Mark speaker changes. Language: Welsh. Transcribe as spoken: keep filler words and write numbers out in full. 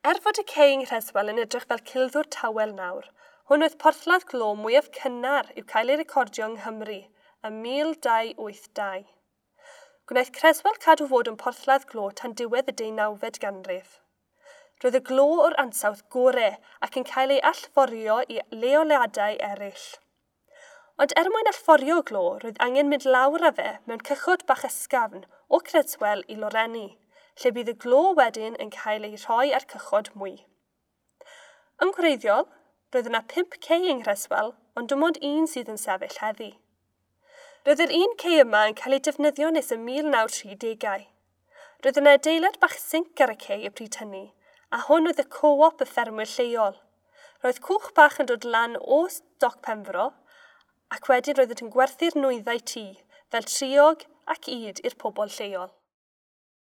Speaker 1: Er fod y cei yng Nghreswell yn edrych fel cilddwr tawel nawr, hwn oedd porthladd glo mwyaf cynnar i'w cael ei recordio yng Nghymru ym mil dau wyth dau. Gwnaeth Creswell cadw fod yn porthladd glo tan diwedd y deunawfed ganrif. Roedd y glo o'r ansawdd gore ac yn cael ei allforio i leoliadau eraill. Ond er mwyn allforio glo, roedd angen mynd lawr â fe mewn cychod bach ysgafn o Creswell i Loreni, lle bydd y glo wedyn yn cael ei rhoi ar cychod mwy. Yn gwreiddiol, roedd yna pump cei yng Nghreswell, ond dim ond un sydd yn sefyll heddi. Roedd yr un cei yma yn cael ei defnyddio nes y mil naw tri degau. Roedd yna adeilad bach sinc ar y cei y pryd hynny, a hwn oedd y co-op y ffermwyr lleol. Roedd cwch bach yn dod lan o Doc Penfro, ac wedyn roeddent yn gwerthu'r nwyddau tŷ, fel triog ac ŷd i'r pobl lleol.